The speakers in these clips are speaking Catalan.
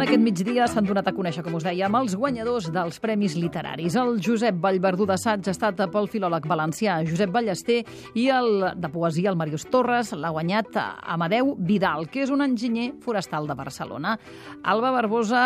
Aquest migdia s'han donat a conèixer, com us dèiem, els guanyadors dels premis literaris. El Josep Vallverdú d'assaig ha estat pel filòleg valencià Josep Ballester i el de poesia, el Màrius Torres, l'ha guanyat Amadeu Vidal, que és un enginyer forestal de Barcelona. Alba Barbosa,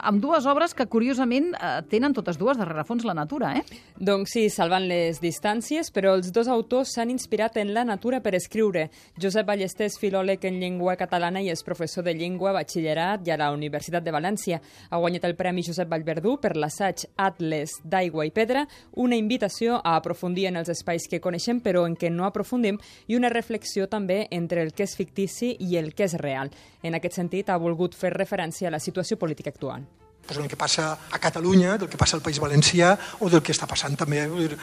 amb dues obres que, curiosament, tenen totes dues de rerefons la natura, Doncs sí, salvant les distàncies, però els dos autors s'han inspirat en la natura per escriure. Josep Ballester és filòleg en llengua catalana i és professor de llengua, batxillerat i a la Universitat de València. Ha guanyat el Premi Josep Vallverdú per l'assaig Atles d'aigua i pedra, una invitació a aprofundir en els espais que coneixem però en què no aprofundim i una reflexió també entre el que és fictici i el que és real. En aquest sentit, ha volgut fer referència a la situació política actual. Del que passa a Catalunya, del que passa al País Valencià o del que està passant també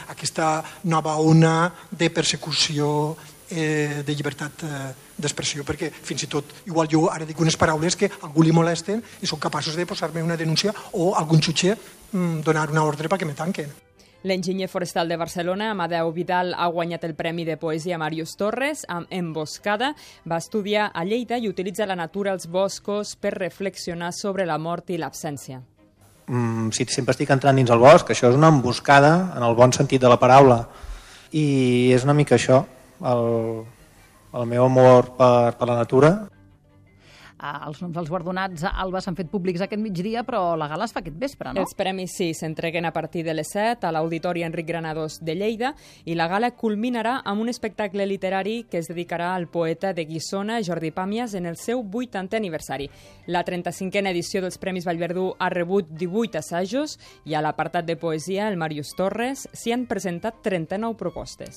aquesta nova ona de persecució de llibertat d'expressió, perquè fins i tot, igual jo ara dic unes paraules que a algú li molesten i són capaços de posar-me una denúncia o algun jutge donar una ordre perquè me tanquen. L'enginyer forestal de Barcelona, Amadeu Vidal, ha guanyat el Premi de Poesia Màrius Torres amb Emboscada. Va estudiar a Lleida i utilitza la natura als boscos per reflexionar sobre la mort i l'absència. Si sempre estic entrant dins el bosc, això és una emboscada en el bon sentit de la paraula. I és una mica això, el meu amor per la natura. Els noms dels guardonats, Alba, s'han fet públics aquest migdia, però la gala es fa aquest vespre, no? Els premis sí, s'entreguen a partir de les 7 a l'Auditori Enric Granados de Lleida i la gala culminarà amb un espectacle literari que es dedicarà al poeta de Guissona, Jordi Pàmies, en el seu 80è aniversari. La 35a edició dels Premis Vallverdú ha rebut 18 assajos i a l'apartat de poesia, el Màrius Torres, s'hi han presentat 39 propostes.